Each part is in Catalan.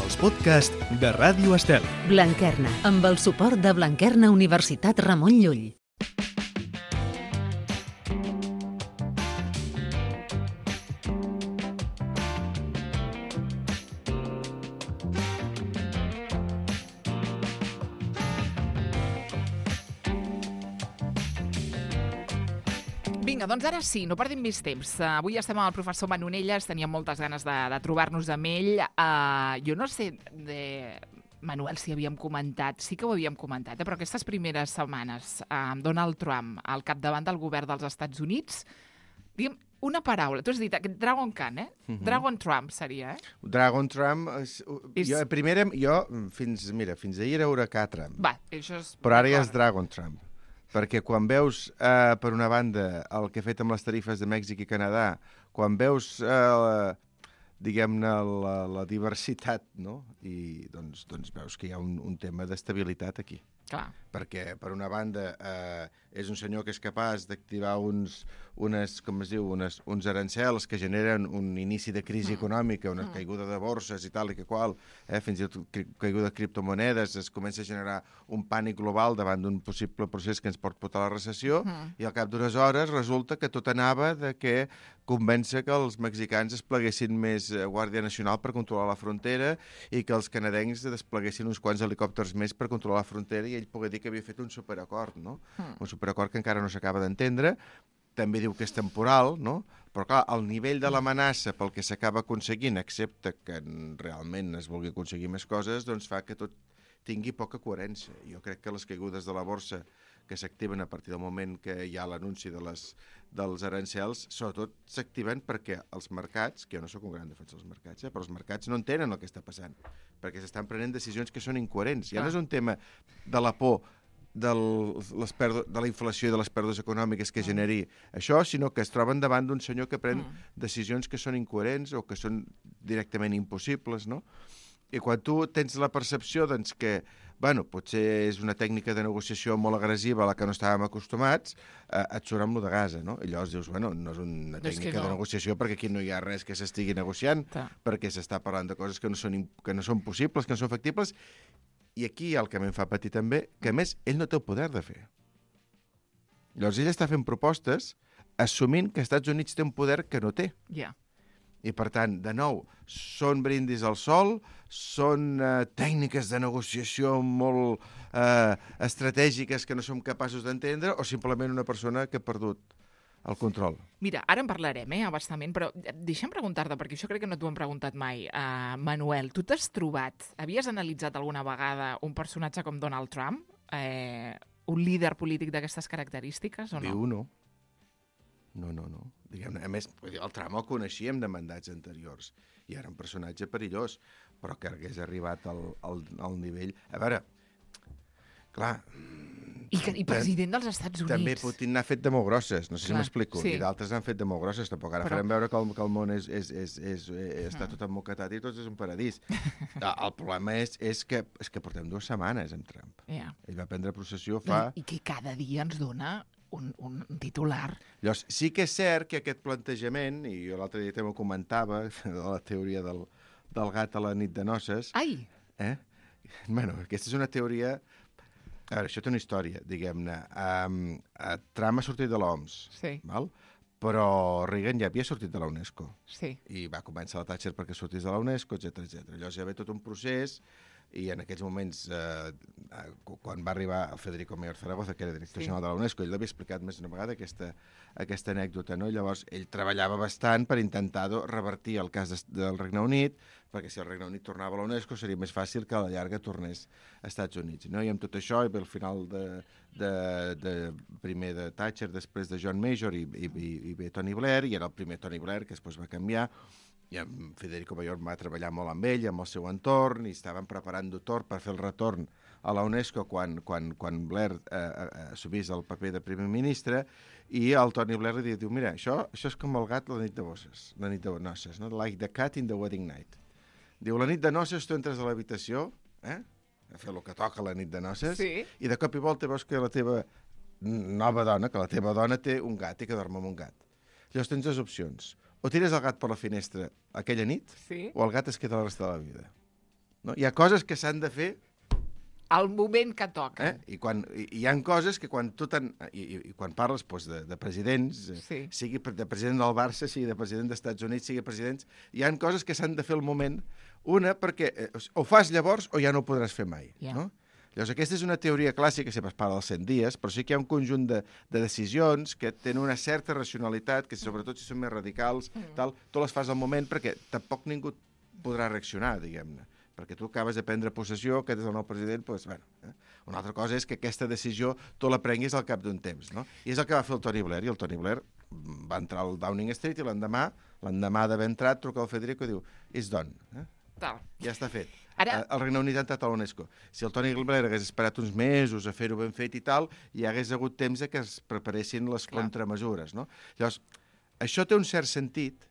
els podcasts de Ràdio Estel. Blanquerna, amb el suport de Blanquerna Universitat Ramon Llull. Vinga, doncs ara sí, no perdim més temps. Avui estem amb el professor Manonelles, teníem moltes ganes de trobar-nos amb ell. Jo no sé, Manuel, si havíem comentat, sí que ho havíem comentat, però aquestes primeres setmanes amb Donald Trump al capdavant del govern dels Estats Units, diguem, una paraula, tu has dit aquest Dragon Khan, Dragon Trump seria, Dragon Trump, fins ahir era Huracà Trump. Va, això és... Però ara ja és Dragon Trump. Perquè quan veus, per una banda, el que ha fet amb les tarifes de Mèxic i Canadà, quan veus, diguem-ne, la diversitat, no? I doncs veus que hi ha un tema d'estabilitat aquí. Clar. Perquè, per una banda, és un senyor que és capaç d'activar uns arancels que generen un inici de crisi econòmica, una caiguda de borses i tal i que qual, fins i tot caiguda de criptomonedes, es comença a generar un pànic global davant d'un possible procés que ens pot portar a la recessió, i al cap d'unes hores resulta que tot anava de que convèncer que els mexicans despleguessin més Guàrdia Nacional per controlar la frontera i que els canadencs despleguessin uns quants helicòpters més per controlar la frontera i ell pogué dir que havia fet un superacord, no? Un superacord que encara no s'acaba d'entendre. També diu que és temporal, no? Però clar, el nivell de l'amenaça pel que s'acaba aconseguint, excepte que realment es vulgui aconseguir més coses, doncs fa que tot tingui poca coherència. Jo crec que les caigudes de la borsa que s'activen a partir del moment que hi ha l'anunci dels arancels, sobretot s'activen perquè els mercats, que jo no sóc un gran defensor dels mercats, però els mercats no entenen el que està passant, perquè s'estan prenent decisions que són incoherents. Ja no és un tema de la por de la inflació i de les pèrdues econòmiques que generi això, sinó que es troben davant d'un senyor que pren decisions que són incoherents o que són directament impossibles, no? I quan tu tens la percepció doncs, que potser és una tècnica de negociació molt agressiva a la que no estàvem acostumats, et surt amb lo de Gaza, no? I llavors dius, no és una tècnica de negociació perquè aquí no hi ha res que s'estigui negociant, perquè s'està parlant de coses que no són possibles, que no són factibles. I aquí el que em fa patir també, que a més ell no té el poder de fer. Llavors ell està fent propostes assumint que els Estats Units té un poder que no té. Ja. I, per tant, de nou, són brindis al sol, són tècniques de negociació molt estratègiques que no som capaços d'entendre o simplement una persona que ha perdut el control. Mira, ara en parlarem, abastament, però deixa'm preguntar-te, perquè això crec que no t'ho han preguntat mai, Manuel. Tu t'has trobat, havies analitzat alguna vegada un personatge com Donald Trump, un líder polític d'aquestes característiques, o no? Viu, no. No. Diguem-ne, a més, el Trump el coneixíem de mandats anteriors i era un personatge perillós, però que hagués arribat al nivell... A veure, clar... I president dels Estats Units. També Putin n'ha fet de molt grosses, no sé si m'explico, i d'altres n'han fet de molt grosses, tampoc ara farem veure que el món està tot emmoquetat i tot és un paradís. El problema és que portem 2 setmanes amb Trump. Ell va prendre possessió fa... I que cada dia ens dona un titular. Llavors, sí que és cert que aquest plantejament, i jo l'altre dia també ho comentava, de la teoria del gat a la nit de noces... Ai! Aquesta és una teoria... A veure, això té una història, diguem-ne. Trump ha sortit de l'OMS, val? Però Reagan ja havia sortit de la UNESCO. Sí. I va començar la Thatcher perquè sortís de la UNESCO, etc. Llavors hi va haver tot un procés i en aquells moments, quan va arribar el Federico Mayor Zaragoza, que era director general de la UNESCO, ell l'havia explicat més d'una vegada aquesta anècdota, no? Llavors ell treballava bastant per intentar revertir el cas del Regne Unit, perquè si el Regne Unit tornava a la UNESCO seria més fàcil que a la llarga tornés als Estats Units, no? I amb tot això hi ve el final primer de Thatcher, després de John Major i ve Tony Blair, i era el primer Tony Blair que després va canviar, i en Federico Mayor va treballar molt amb ell, amb el seu entorn, i estaven preparant-ho tot per fer el retorn a la UNESCO quan Blair assumís el paper de primer ministre, i el Tony Blair li diu, mira, això és com el gat la nit de noces, no? Like the cat in the wedding night. Diu, la nit de noces tu entres a l'habitació, a fer el que toca la nit de noces, i de cop i volta veus que la teva nova dona, que la teva dona té un gat i que dorm amb un gat. Llavors tens 2 opcions. O tires el gat per la finestra aquella nit, o el gat es queda la resta de la vida. No? Hi ha coses que s'han de fer al moment que toca. I hi ha coses que quan tu quan parles de presidents, sigui de president del Barça, sigui de president dels Estats Units, sigui presidents, hi ha coses que s'han de fer al moment, una perquè o fas llavors o ja no ho podràs fer mai. No? Llavors, aquesta és una teoria clàssica, sempre es parla dels 100 dies, però sí que hi ha un conjunt de decisions que tenen una certa racionalitat, que sobretot si són més radicals, tu les fas al moment perquè tampoc ningú podrà reaccionar, diguem-ne. Perquè tu acabes de prendre possessió, aquest és el nou president, doncs, bueno. Una altra cosa és que aquesta decisió tu la prenguis al cap d'un temps, no? I és el que va fer el Tony Blair, i el Tony Blair va entrar al Downing Street i l'endemà d'haver entrat, truca al Federico i diu, it's done. Ja està fet. El Regne Unit ha entrat a l'UNESCO. Si el Tony Blair hagués esperat uns mesos a fer-ho ben fet i tal, hi hagués hagut temps que es preparessin les contramesures, no? Llavors, això té un cert sentit,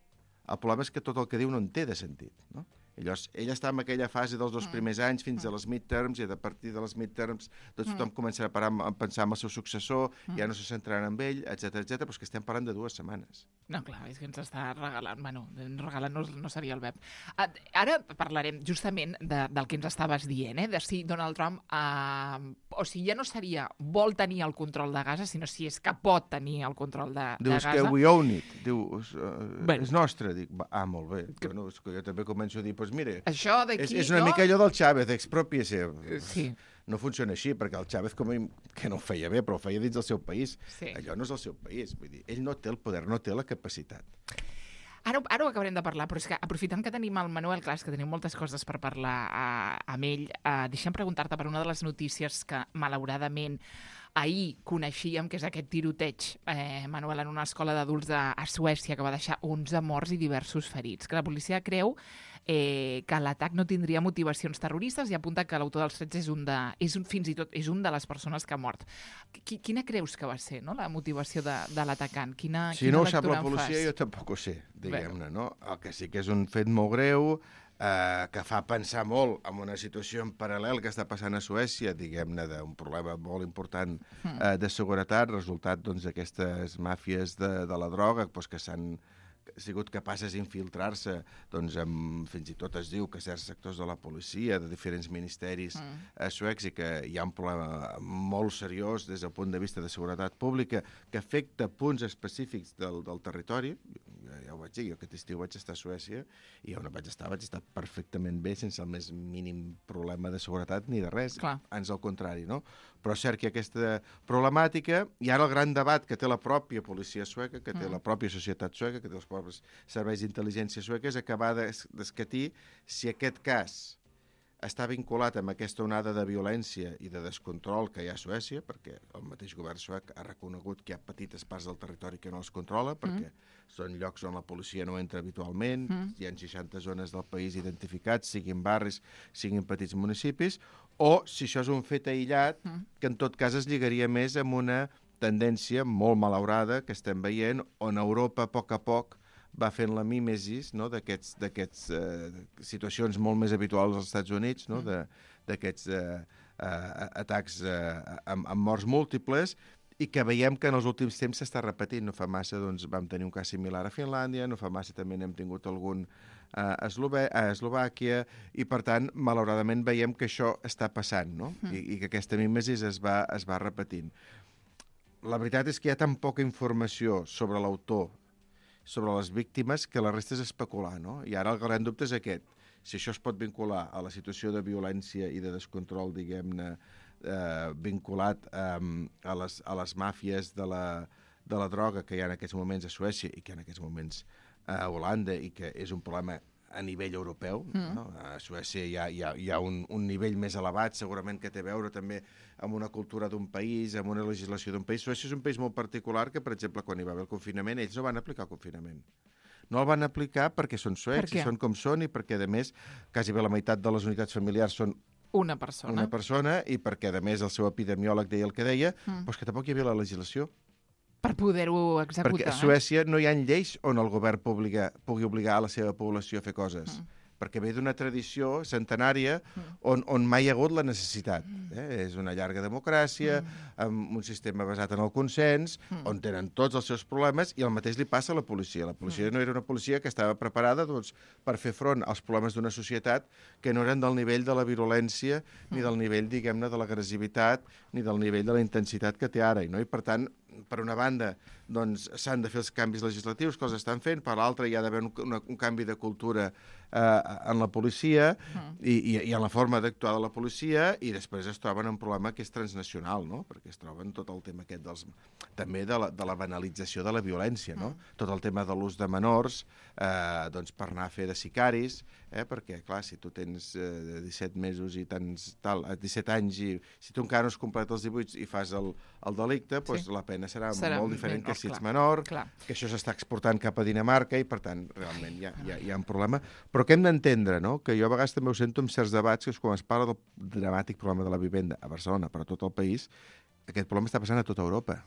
el problema és que tot el que diu no en té de sentit, no? Llavors, ell està en aquella fase dels 2 primers anys fins a les midterms, i a partir de les midterms tothom començarà a pensar en el seu successor, ja no se centraran en ell, etc, però és que estem parlant de 2 setmanes. No, clar, és que ens està regalant, bueno, regalant no seria el verb. Ara parlarem justament del que ens estaves dient, de si Donald Trump, o sigui, ja no seria vol tenir el control de Gaza, sinó si és que pot tenir el control de Gaza. Diu, és que we own it, diu, és nostre. Dic, molt bé, bueno, és que jo també començo a dir, doncs mira, és una mica allò del Chávez, expropiació. Sí. No funciona així, perquè el Chávez que no ho feia bé, però ho feia dins del seu país. Allò no és el seu país, vull dir, ell no té el poder, no té la capacitat. Ara ho acabarem de parlar, però és que aprofitant que tenim el Manuel, clar, és que tenim moltes coses per parlar amb ell, deixa'm preguntar-te per una de les notícies que, malauradament, ahir coneixíem, que és aquest tiroteig, Manuel, en una escola d'adults a Suècia, que va deixar 11 morts i diversos ferits, que la policia creu que l'atac no tindria motivacions terroristes i apunta que l'autor dels fets fins i tot és un de les persones que ha mort. Quina creus que va ser, no, la motivació de l'atacant? Si no ho sap la policia, jo tampoc ho sé, diguem-ne, no? El que sí que és un fet molt greu, que fa pensar molt en una situació en paral·lel que està passant a Suècia, diguem-ne, d'un problema molt important de seguretat, resultat d'aquestes màfies de la droga, que s'han sigut capaces d'infiltrar-se, fins i tot es diu que certs sectors de la policia, de diferents ministeris suecs, i que hi ha un problema molt seriós des del punt de vista de seguretat pública que afecta punts específics del territori. Ja ho vaig dir, jo aquest estiu vaig estar a Suècia i on vaig estar perfectament bé, sense el més mínim problema de seguretat ni de res, ans al contrari, no? Però és cert que aquesta problemàtica, i ara el gran debat que té la pròpia policia sueca, que té la pròpia societat sueca, que té els propis serveis d'intel·ligència suecs, és acabar d'escatir si aquest cas està vinculat amb aquesta onada de violència i de descontrol que hi ha a Suècia, perquè el mateix govern suec ha reconegut que hi ha petites parts del territori que no els controla, perquè són llocs on la policia no entra habitualment, hi ha 60 zones del país identificats, siguin barris, siguin petits municipis, o si això és un fet aïllat, que en tot cas es lligaria més amb una tendència molt malaurada que estem veient, on Europa, a poc, va fent la mímesis, no, d'aquests situacions molt més habituals als Estats Units, no, d'aquests atacs amb morts múltiples, i que veiem que en els últims temps s'està repetint. No fa massa vam tenir un cas similar a Finlàndia, no fa massa també n'hem tingut algun a Eslovàquia, i per tant, malauradament, veiem que això està passant, no? I que aquesta mímesis es va repetint. La veritat és que hi ha tan poca informació sobre l'autor, sobre les víctimes, que la resta és especular, no? I ara el gran dubte és aquest. Si això es pot vincular a la situació de violència i de descontrol, diguem-ne, vinculat a les màfies de la droga que hi ha en aquests moments a Suècia i que hi ha en aquests moments a Holanda, i que és un problema a nivell europeu. No? A Suècia hi ha un nivell més elevat, segurament que té a veure també amb una cultura d'un país, amb una legislació d'un país. Suècia és un país molt particular que, per exemple, quan hi va haver el confinament, ells no van aplicar el confinament. No el van aplicar perquè són suecs i són com són, i perquè, a més, quasi bé la meitat de les unitats familiars són una persona, i perquè, a més, el seu epidemiòleg deia el que deia, doncs que tampoc hi havia la legislació. Per poder-ho executar. Perquè a Suècia no hi ha lleis on el govern pugui obligar a la seva població a fer coses. perquè ve d'una tradició centenària on mai hi ha hagut la necessitat. És una llarga democràcia, amb un sistema basat en el consens, on tenen tots els seus problemes, i el mateix li passa a la policia. La policia no era una policia que estava preparada per fer front als problemes d'una societat que no eren del nivell de la virulència, ni del nivell, diguem-ne, de l'agressivitat, ni del nivell de la intensitat que té ara. I per tant, per una banda, doncs, s'han de fer els canvis legislatius que els estan fent, per l'altra hi ha d'haver un canvi de cultura en la policia i en la forma d'actuar de la policia, i després es troben un problema que és transnacional, no? Perquè es troben tot el tema aquest també de la banalització de la violència, no? Tot el tema de l'ús de menors doncs per anar a fer de sicaris, perquè, clar, si tu tens 17 mesos i 17 anys i si tu encara no has completat els 18 i fas el delicte, doncs la pena serà molt diferent que si ets menor, que això s'està exportant cap a Dinamarca i, per tant, realment hi ha un problema. Però que hem d'entendre, no?, que jo a vegades també ho sento en certs debats, que és quan es parla del dramàtic problema de la vivenda a Barcelona, però a tot el país, aquest problema està passant a tota Europa.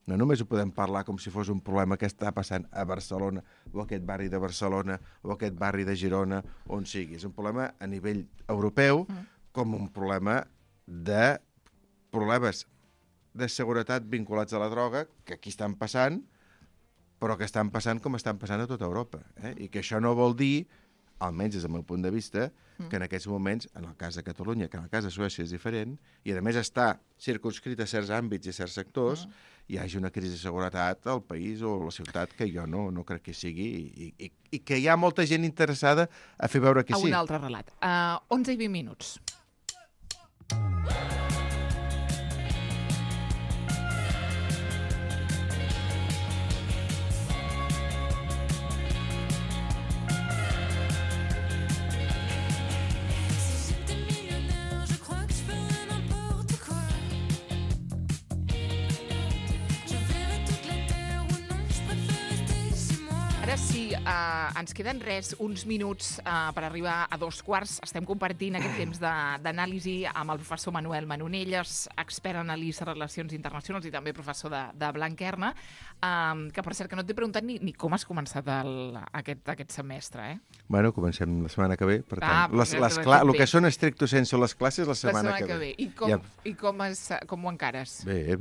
No només ho podem parlar com si fos un problema que està passant a Barcelona, o a aquest barri de Barcelona, o a aquest barri de Girona, on sigui. És un problema a nivell europeu, com un problema de problemes de seguretat vinculats a la droga, que aquí estan passant, però que estan passant com estan passant a tota Europa. I que això no vol dir, almenys des del meu punt de vista, que en aquests moments, en el cas de Catalunya, que en el cas de Suècia és diferent, i a més està circunscrit a certs àmbits i a certs sectors, hi hagi una crisi de seguretat al país o a la ciutat que jo no crec que sigui, i que hi ha molta gent interessada a fer veure que sí. A un altre relat. 11 i 20 minuts. Ara sí, ens queden uns minuts per arribar a 2:15. Estem compartint aquest temps d'anàlisi amb el professor Manuel Manonelles, expert en anàlisi de relacions internacionals i també professor de Blanquerna, que per cert que no t'he preguntat ni com has començat aquest semestre, Bueno, comencem la setmana que ve, per tant, el que són estricto sensu les classes la setmana que ve. I com ho encares? Bé.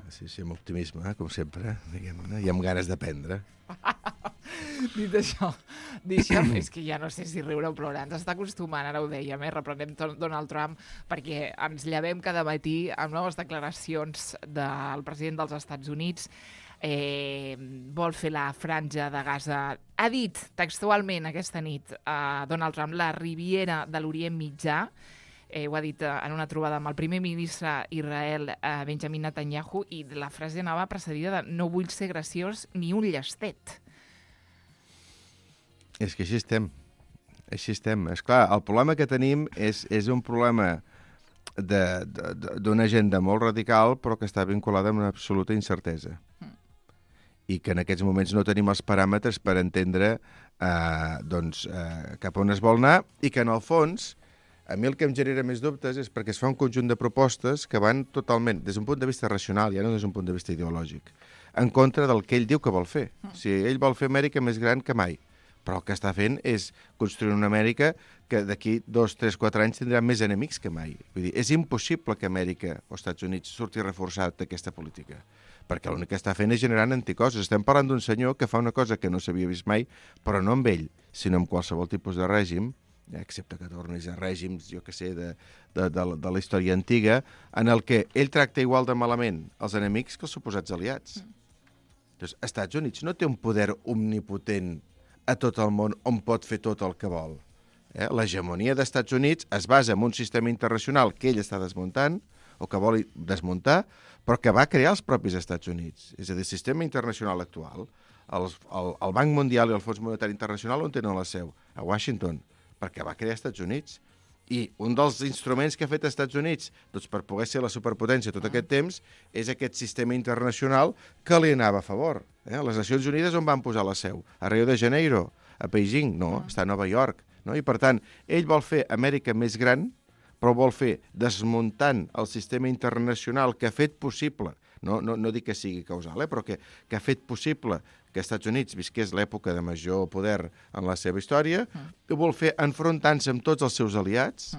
Sí, amb optimisme, com sempre, diguem-ne, i amb ganes d'aprendre. Dit això, és que ja no sé si riure o plorar. Ens està acostumant, ara ho dèiem, reprenem Donald Trump, perquè ens llevem cada matí amb noves declaracions del president dels Estats Units. Vol fer la franja de Gaza. Ha dit textualment aquesta nit Donald Trump la Riviera de l'Orient Mitjà. Ho ha dit en una trobada amb el primer ministre Israel, Benjamin Netanyahu, i la frase anava precedida de "no vull ser graciós ni un llestet". És que així estem. És clar, el problema que tenim és un problema d'una agenda molt radical, però que està vinculada amb una absoluta incertesa. I que en aquests moments no tenim els paràmetres per entendre cap on es vol anar, i que en el fons a mi el que em genera més dubtes és perquè es fa un conjunt de propostes que van totalment, des d'un punt de vista racional, ja no des d'un punt de vista ideològic, en contra del que ell diu que vol fer. O sigui, ell vol fer Amèrica més gran que mai, però el que està fent és construir una Amèrica que d'aquí 2, 3, 4 anys tindrà més enemics que mai. Vull dir, és impossible que Amèrica o Estats Units surti reforçat d'aquesta política, perquè l'únic que està fent és generant anticossos. Estem parlant d'un senyor que fa una cosa que no s'havia vist mai, però no amb ell, sinó amb qualsevol tipus de règim, excepte que tornis a règims, jo que sé, de la història antiga, en el que ell tracta igual de malament els enemics que els suposats aliats. Doncs, Estats Units no té un poder omnipotent a tot el món on pot fer tot el que vol. L'hegemonia d'Estats Units es basa en un sistema internacional que ell està desmuntant, o que vol desmuntar, però que va crear els propis Estats Units. És a dir, el sistema internacional actual, el Banc Mundial i el Fons Monetari Internacional on tenen la seu? A Washington, perquè va crear Estats Units. I un dels instruments que ha fet Estats Units per poder ser la superpotència tot aquest temps és aquest sistema internacional que li anava a favor. Les Nacions Unides on van posar la seu? A Rio de Janeiro? A Beijing? No, està a Nova York. I per tant, ell vol fer Amèrica més gran, però vol fer desmuntant el sistema internacional que ha fet possible, no dic que sigui causal, però que ha fet possible que als Estats Units visqués l'època de major poder en la seva història, ho vol fer enfrontant-se amb tots els seus aliats,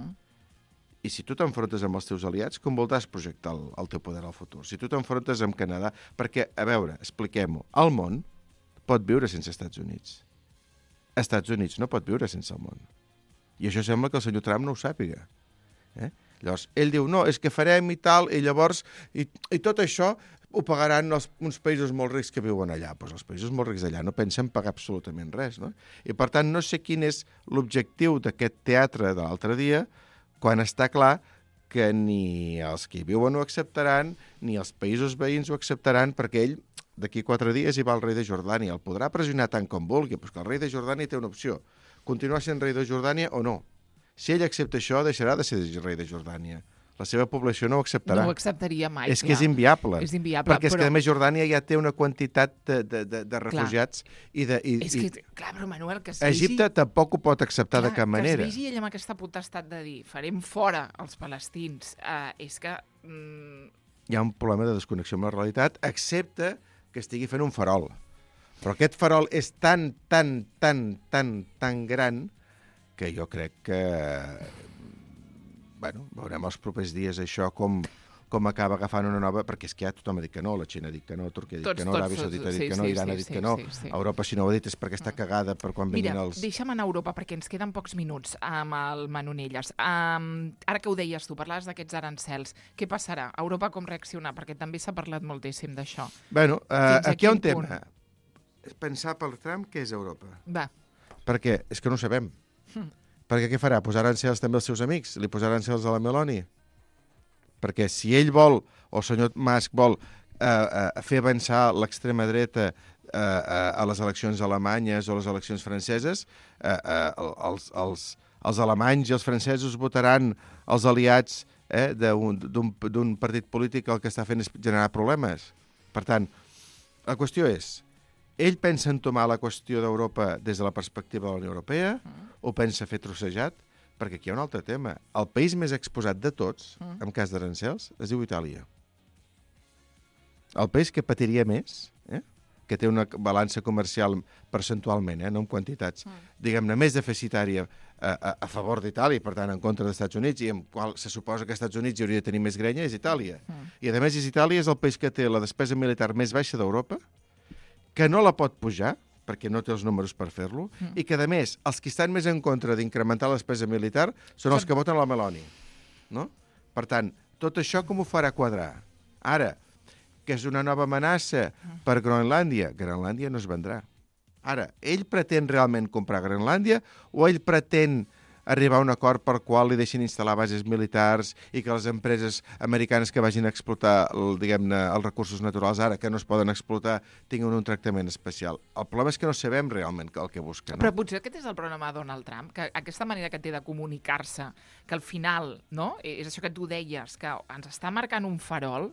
i si tu t'enfrontes amb els teus aliats, com voldràs projectar el teu poder al futur? Si tu t'enfrontes amb Canadà... Perquè, a veure, expliquem-ho, el món pot viure sense Estats Units. Estats Units no pot viure sense el món. I això sembla que el senyor Trump no ho sàpiga. Llavors, ell diu, no, és que farem i tal, i llavors, i tot això ho pagaran uns països molt rics que viuen allà. Doncs els països molt rics d'allà no pensen pagar absolutament res, no? I, per tant, no sé quin és l'objectiu d'aquest teatre de l'altre dia, quan està clar que ni els que hi viuen ho acceptaran, ni els països veïns ho acceptaran, perquè ell, d'aquí 4 dies, hi va el rei de Jordània. El podrà pressionar tant com vulgui, però que el rei de Jordània té una opció. Continuar sent rei de Jordània o no. Si ell accepta això, deixarà de ser rei de Jordània. La seva població no ho acceptarà. No ho acceptaria mai, És que és inviable. És inviable, perquè és que, a més, Jordània ja té una quantitat de refugiats És que, clar, però Manuel, que es vegi... Egipte tampoc ho pot acceptar de cap manera. Que es vegi ell amb aquesta potestat de dir farem fora els palestins, és que... Hi ha un problema de desconnexió amb la realitat, excepte que estigui fent un farol. Però aquest farol és tan gran que jo crec que... veurem els propers dies això com acaba agafant una nova... Perquè és que ja tothom ha dit que no, la Xina ha dit que no, Turquia ha dit que no, l'Aràbia Saudita ha dit que no, Iran ha dit que no, Europa, si no ho ha dit, és perquè està cagada per quan vinguin els... Mira, deixa'm anar a Europa, perquè ens queden pocs minuts amb el Manonelles. Ara que ho deies tu, parlaves d'aquests arancels, què passarà? Europa com reacciona? Perquè també s'ha parlat moltíssim d'això. Bueno, aquí hi ha un tema. És pensar per Trump què és Europa. Va. Perquè és que no ho sabem. Perquè què farà? Posar arancels també als seus amics? Li posarà arancels a la Meloni? Perquè si ell vol, o el senyor Musk vol, fer avançar l'extrema dreta a les eleccions alemanyes o les eleccions franceses, els alemanys i els francesos votaran els aliats d'un partit polític el que està fent és generar problemes. Per tant, la qüestió és, ell pensa entomar la qüestió d'Europa des de la perspectiva de la Unió Europea o pensa fer trossejat? Perquè aquí hi ha un altre tema. El país més exposat de tots, en cas d'arancels, es diu Itàlia. El país que patiria més, que té una balança comercial percentualment, no en quantitats, diguem-ne, més deficitària a favor d'Itàlia, per tant, en contra dels Estats Units, i amb qual se suposa que als Estats Units hi hauria de tenir més grenya, és Itàlia. I, a més, Itàlia és el país que té la despesa militar més baixa d'Europa, que no la pot pujar, perquè no té els números per fer-lo, i que, a més, els que estan més en contra d'incrementar la despesa militar són els que voten la Meloni. No? Per tant, tot això com ho farà quadrar? Ara, que és una nova amenaça per Groenlàndia, Groenlàndia no es vendrà. Ara, ell pretén realment comprar Groenlàndia o ell pretén arribar a un acord per qual li deixin instal·lar bases militars i que les empreses americanes que vagin a explotar, diguem-ne, els recursos naturals ara, que no es poden explotar, tinguin un tractament especial. El problema és que no sabem realment el que busquen. No? Però potser aquest és el problema de Donald Trump, que aquesta manera que té de comunicar-se, que al final, no?, és això que tu deies, que ens està marcant un farol...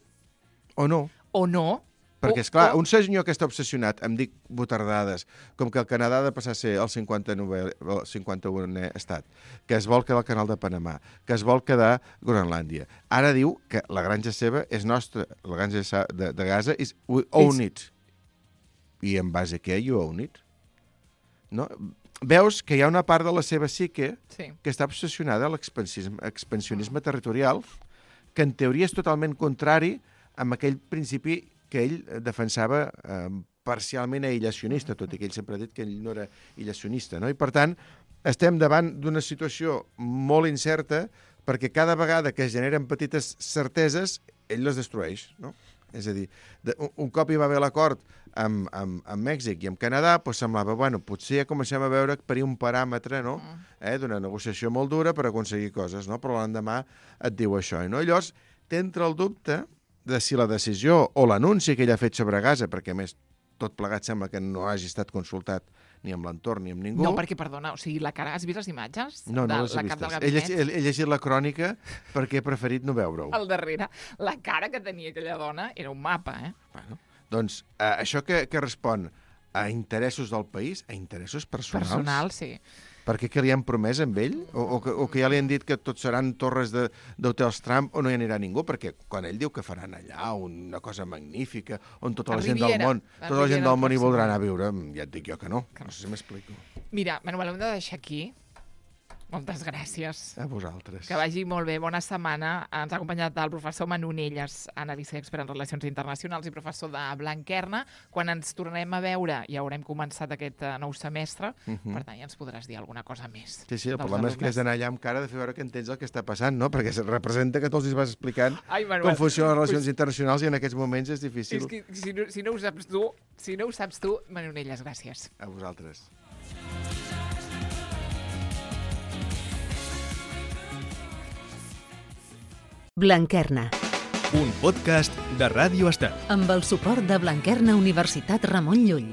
O no. O no. Perquè, esclar, un senyor que està obsessionat, em dic butardades, com que el Canadà ha de passar a ser el 51è estat, que es vol quedar al Canal de Panamà, que es vol quedar Groenlàndia. Ara diu que la granja seva és nostra, la granja de Gaza és we own it. I en base a què you own it? No? Veus que hi ha una part de la seva psique que està obsessionada a l'expansionisme territorial, que en teoria és totalment contrari amb aquell principi que ell defensava parcialment aïllacionista, tot i que ell sempre ha dit que ell no era aïllacionista, no? I, per tant, estem davant d'una situació molt incerta perquè cada vegada que es generen petites certeses, ell les destrueix, no? És a dir, un cop hi va haver l'acord amb Mèxic i amb Canadà, doncs semblava, bueno, potser ja comencem a veure per un paràmetre, no?, d'una negociació molt dura per aconseguir coses, no? Però l'endemà et diu això, no? I llavors t'entra el dubte de si la decisió o l'anunci que ell ha fet sobre Gaza, perquè a més tot plegat sembla que no hagi estat consultat ni amb l'entorn ni amb ningú. No, perquè, perdona, o sigui, la cara... Has vist les imatges? No, no les he vistes. He llegit la crònica perquè he preferit no veure-ho. Al darrere, la cara que tenia aquella dona era un mapa, Bueno, doncs, això que respon a interessos del país, a interessos personals... Personal, sí. Perquè què li han promès amb ell? O que ja li han dit que tots seran torres d'hotels Trump o no hi anirà ningú? Perquè quan ell diu que faran allà una cosa magnífica on tota la gent del món hi voldrà anar a viure, ja et dic jo que no. No sé si m'explico. Mira, Manuel, hem de deixar aquí. Moltes gràcies. A vosaltres. Que vagi molt bé. Bona setmana. Ens ha acompanyat el professor Manonelles, analista i expert en relacions internacionals i professor de Blanquerna. Quan ens tornem a veure, ja haurem començat aquest nou semestre, per tant, ja ens podràs dir alguna cosa més. Sí, el problema és que has d'anar allà amb cara de fer veure que entens el que està passant, no? Perquè representa que tu els vas explicant com funcionen les relacions internacionals i en aquests moments és difícil. És que si no ho saps tu, Manonelles, gràcies. A vosaltres. Blanquerna. Un podcast de Ràdio Estel. Amb el suport de Blanquerna Universitat Ramon Llull.